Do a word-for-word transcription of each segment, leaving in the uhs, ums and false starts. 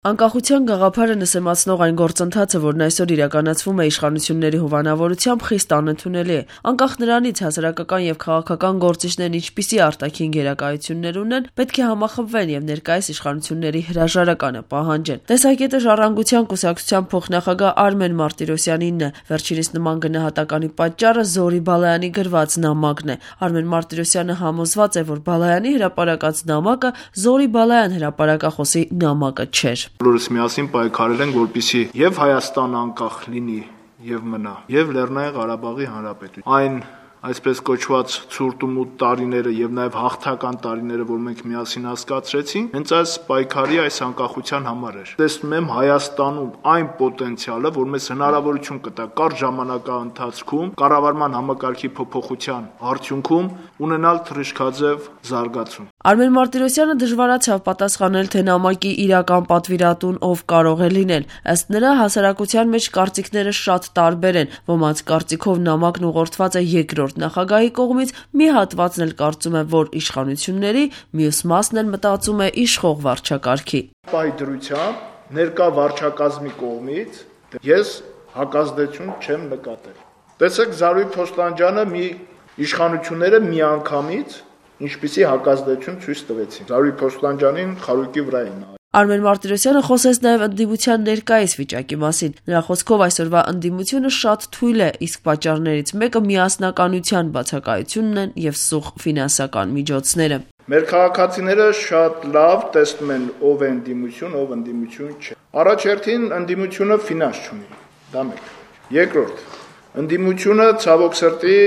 Անկախության գաղափարը նսեմացնող այն գործընթացը, որն այսօր իրականացվում է իշխանությունների հովանավորությամբ, խիստ անընդունելի է։ Անկախ նրանից հասարակական եւ քաղաքական գործիչներն ինչպիսի արտաքին գերակայություններ ունեն, պետք է համախմբվեն եւ ներկայիս իշխանությունների հրաժարականը պահանջեն։ Տեսակետը Ժառանգության կուսակցության փոխնախագահ Արմեն Մարտիրոսյանինն է։ Վերջինիս նման գնահատականի պատճառը Զորի Բալայանի գրված նամակն է։ Արմեն Մարտիրոսյանը համոզված է, որ Բալայանի հրապարակած նամակը Զորի Բալայան հրապարակախոսի նամակը չէր։ Բոլորս միասին պայքարել ենք, որպեսզի եւ Հայաստանը անկախ լինի եւ մնա, եւ Լեռնային Ղարաբաղի Հանրապետություն։ Այն այսպես կոչված ցուրտ ու մութ տարիները եւ նաեւ հաղթական տարիները, որ մենք միասին հասկացրեցինք, հենց այս պայքարի այս անկախության համար էր։ Տեսնում եմ Հայաստանում այն պոտենցիալը, որ մեզ հնարավորություն կտա կարճ ժամանակահատվածում կառավարման համակարգի փոփոխության արդյունքում ունենալ թռիչքաձև զարգացում։ Արմեն Մարտիրոսյանը դժվարացավ պատասխանել, թե նամակի իրական պատվիրատուն ով կարող է լինել։ Ըստ նրա, հասարակության մեջ կարծիքները շատ տարբեր են։ Ոմանց կարծիքով նամակն ուղղորդված է երկրորդ նախագահի կողմից, մի հատվածն էլ կարծում է, որ իշխանությունների, մյուս մասն էլ մտածում է իշխող վարչակարգի։ Պահի դրությամբ ներկա վարչակազմի կողմից ես հակազդեցություն չեմ նկատել։ Տեսեք, Զարուհի Փոստանջյանը մի իշխանությունները միանգամից ինչպիսի հակազդեցություն ցույց տվեցին։ Զարուհի Փոստանջյանին խարույկի վրա էին։ Արմեն Մարտիրոսյանը խոսեց նաև ընդդիմության ներկայիս վիճակի մասին։ Նրա խոսքով այսօրվա ընդդիմությունը շատ թույլ է, իսկ պատճառներից մեկը միասնականության բացակայությունն են եւ սուղ ֆինանսական միջոցները։ Մեր քաղաքացիները շատ լավ տեսնում են ով է ընդդիմություն, ով ընդդիմություն չէ։ Առաջերտին ընդդիմությունը ֆինանս չունի։ Դա մեկ։ Երկրորդ, ընդդիմությունը ցավոք սրտի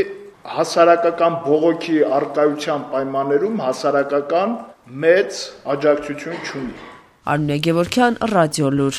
հասարակական բողոքի արկայության պայմաններում հասարակական մեծ աջակցություն չունի։ Արմինե Գևորգյան, Ռադիոլուր։